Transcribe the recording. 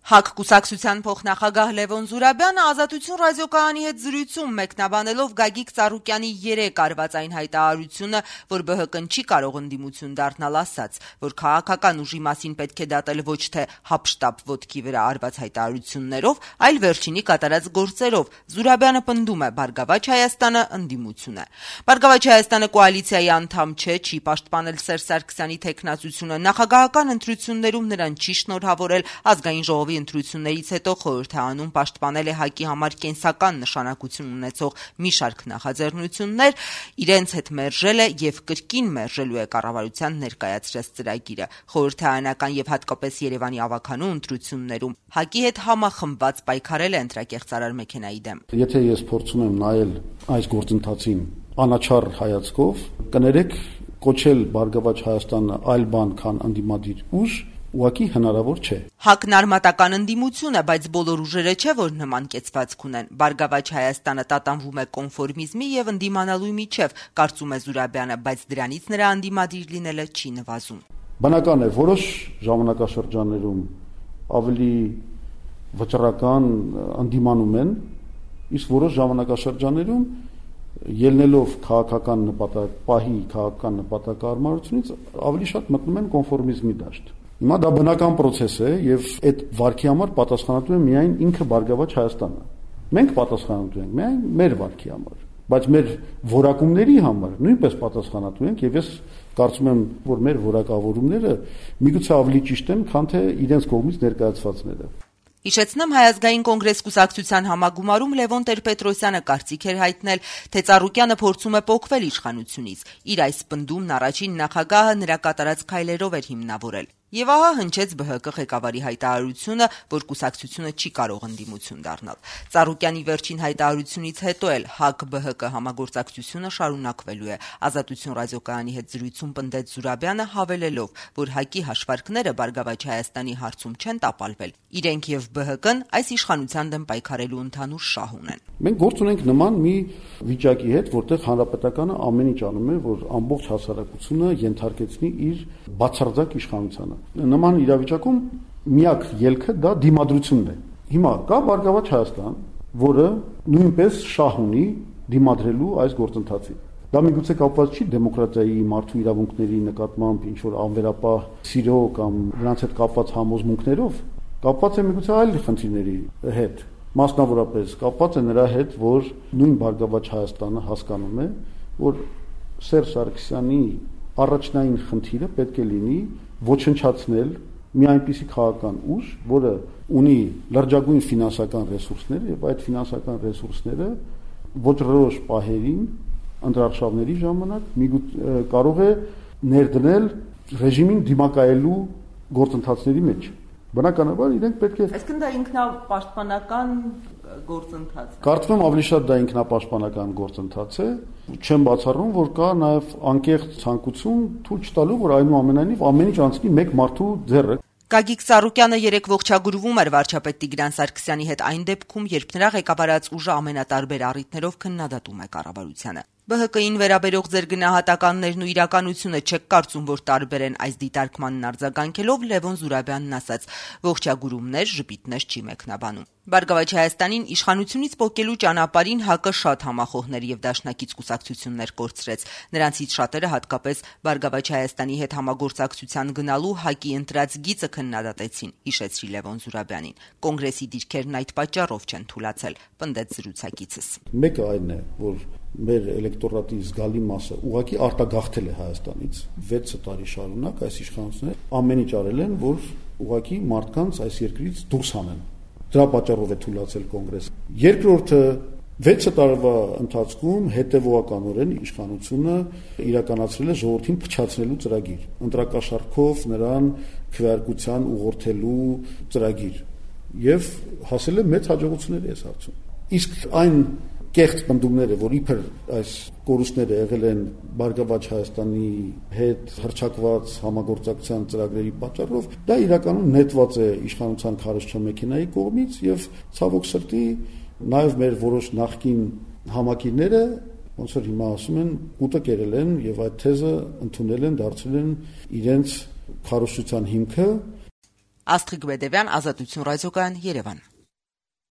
ՀԱԿ կուսակցության փոխնախագահ Լևոն Զուրաբյանը Ազատություն ռադիոկայանի հետ զրույցում մեկնաբանելով Գագիկ Ծառուկյանի 3 արված այն հայտարարությունը, որ ԲՀԿ-ն չի կարող ընդդիմություն դառնալ, ասաց, որ քաղաքական ուժի մասին պետք է դատել ոչ թե հապշտապ ոտքի վրա արված հայտարարություններով, այլ վերջինի կատարած գործերով։ Զուրաբյանը պնդում է, Բարգավաճ Հայաստանը ընդդիմություն է։ Բարգավաճ Հայաստանը կոալիցիայի անդամ չէ, չի պաշտպանել Սերժ Սարգսյանի թեկնածությունը, նախագահական ընտրություններում նրան չի շնորհավորել, ազգային ժողովի ընտրություններից հետո խորհուրդ է անում պաշտպանել է ՀԱԿ-ի համար կենսական նշանակություն ունեցող մի շարք նախաձեռնություններ, իրենց հետ մերժել է եւ կրկին մերժելու է կառավարության ներկայացրած ծրագիրը։ Խորհրդարանական եւ հատկապես Երևանի ավագանու ընտրություններում ՀԱԿ-ի հետ համախմբված պայքարել է ընտրակեղծարար մեքենայի դեմ։ Եթե ես փորձում եմ նայել այս գործընթացին անաչառ հայացքով, կներեք կոչել Բարգավաճ Հայաստանը այլ բան, քան ընդդիմադիր ուժ ուղղակի հնարավոր չէ։ ՀԱԿ-ն արմատական ընդդիմություն է, բայց բոլոր ուժերը չէ, որ նման կեցվածք ունեն։ Բարգավաճ Հայաստանը տատանվում է կոնֆորմիզմի եւ ընդդիմանալու միջև, կարծում է Զուրաբյանը, բայց դրանից նրա ընդդիմադիր լինելը չի նվազում։ Բնական է, որոշ ժամանակաշրջաններում ավելի վճռական ընդդիմանում են, իսկ որոշ ժամանակաշրջաններում ելնելով քաղաքական նպատակահարմարությունից ավելի շատ մտնում են կոնֆորմիզմի դաշտ։ Հիմա դա բնական process է եւ այդ վարքի համար պատասխանատու է միայն ինքը Բարգավաճ Հայաստանը։ Մենք պատասխանատու ենք միայն մեր վարքի համար, բայց մեր որակումների համար նույնպես պատասխանատու ենք եւ ես կարծում եմ, որ մեր որակավորումները միգուցե ավելի ճիշտ են, քան թե իրենց կողմից ներկայացվածները։ Հիշեցնեմ, Հայ ազգային կոնգրես կուսակցության համագումարում Լևոն Տեր-Պետրոսյանը կարծիք էր հայտնել, թե Ծառուկյանը փորձում է պոկվել իշխանությունից։ Իր այս պնդումն առաջին նախագահը նրա կատարած քայլերով էր հիմնավորել։ Եվ ահա հնչեց ԲՀԿ ղեկավարի հայտարարությունը, որ կուսակցությունը չի կարող ընդդիմություն դառնալ։ Ծառուկյանի վերջին հայտարարությունից հետո էլ ՀԱԿ-ԲՀԿ համագործակցությունը շարունակվելու է։ Ազատություն ռադիոկայանի հետ զրույցում պնդեց Զուրաբյանը, հավելելով, որ ՀԱԿ-ի հաշվարկները Բարգավաճ Հայաստանի հարցում չեն տապալվել։ Իրենք եւ ԲՀԿ-ն այս իշխանության դեմ պայքարելու ընդհանուր շահ ունեն։ Մենք գործ ունենք նման մի վիճակի հետ, որտեղ հանրապետականը ամեն ինչ անում է, որ ամբողջ հասարակությունը ենթարկեցնի իր բացարձակ իշխանությանը։ Նման իրավիճակում միակ ելքը դա դիմադրությունն է։ Հիմա կա Բարգավաճ Հայաստան, որը նույնպես շահ ունի դիմադրելու այս գործընթացին։ Դա միգուցե կապված չի դեմոկրատիայի, մարդու իրավունքների նկատմամբ ինչ որ անվերապահ սիրո կամ նրանց հետ կապված համոզմունքներով, կապված է միգուցե այլ խնդիրների հետ։ Մասնավորապես կապված է նրա հետ, որ նույն Բարգավաճ Հայաստանը հասկանում է, որ Սերժ Սարգսյանի առաջնային խնդիրը պետք է լինի ոչնչացնել մի այնպիսի քաղաքական ուժ, որը ունի լրջագույն ֆինանսական ռեսուրսներ եւ այդ ֆինանսական ռեսուրսները ոչռորոշ պահերին ընտրարշավների ժամանակ կարող է ներդնել ռեժիմին դիմակայելու գործընթացների մեջ։ Բնականաբար իրենք պետք է Այսինքն դա ինքնապաշտպանական գործընթաց է։ Կարծում եմ ավելի շատ դա ինքնապաշտպանական գործընթաց է։ Չեմ բացառում, որ կա նաև անկեղծ ցանկություն թույլ չտալու, որ այնուամենայնիվ ամեն ինչ անցնի մեկ մարդու ձեռը։ Գագիկ Ծառուկյանը երեք ողջագրվում էր վարչապետ Տիգրան Սարգսյանի հետ այն դեպքում, երբ նրա ղեկավարած ուժը ամենատարբեր առիթներով քննադատում է կառավարությանը։ ԲՀԿ-ին վերաբերող ձեր գնահատականներն ու իրականությունը չեք կարծում, որ տարբեր են այս դիտարկմանն արձագանքելով Լևոն Զուրաբյանն ասաց. ողջագուրումներ, ժպիտներ չի մեկնաբանում։ Բարգավաճ Հայաստանին իշխանությունից պոկելու ճանապարհին ՀԱԿ-ը շատ համախոհներ եւ դաշնակից կուսակցություններ կորցրեց։ Նրանցից շատերը հատկապես Բարգավաճ Հայաստանի հետ համագործակցության գնալու ՀԱԿ-ի ընտրած գիծը քննադատեցին, հիշեցրի Լևոն Զուրաբյանին։ Կոնգրեսի դիրքերն այդ պատճառով չեն թուլացել, պնդեց զրուցակիցս։ Մեկը այն է, որ մեր էլեկտորատի զգալի մասը ուղղակի արտագաղթել է Հայաստանից 6 տարի շարունակ այս իշխանությունները ամեն ինչ արել են, որ ուղղակի մարդկանց այս երկրից դուրս հանեն։ Դրա պատճառով է թուլացել կոնգրեսը։ Երկրորդը 6 տարվա ընթացքում հետևողականորեն իշխանությունը իրականացրել է ժողովրդին փչացնելու ծրագիր, ընտրակաշառքով նրան քվեարկության ուղղորդելու ծրագիր եւ հասել է մեծ հաջողությունների այս հարցում։ Իսկ այն կեղծ պնդումները, որ իբր այս կորուստները եղել են Բարգավաճ Հայաստանի հետ հռչակված համագործակցության ծրագրերի պատճառով, դա իրականում նետված է իշխանության քարոզչա մեքենայի կողմից եւ ցավոք սրտի նաեւ մեր որոշ նախկին համակիրները, ոնց որ հիմա ասում են, ուտը կերել են եւ այդ թեզը ընդունել են, դարձրել են իրենց քարոզչության հիմքը։ Աստղիկ Բեդևյան, Ազատություն ռադիոկայան, Երևան։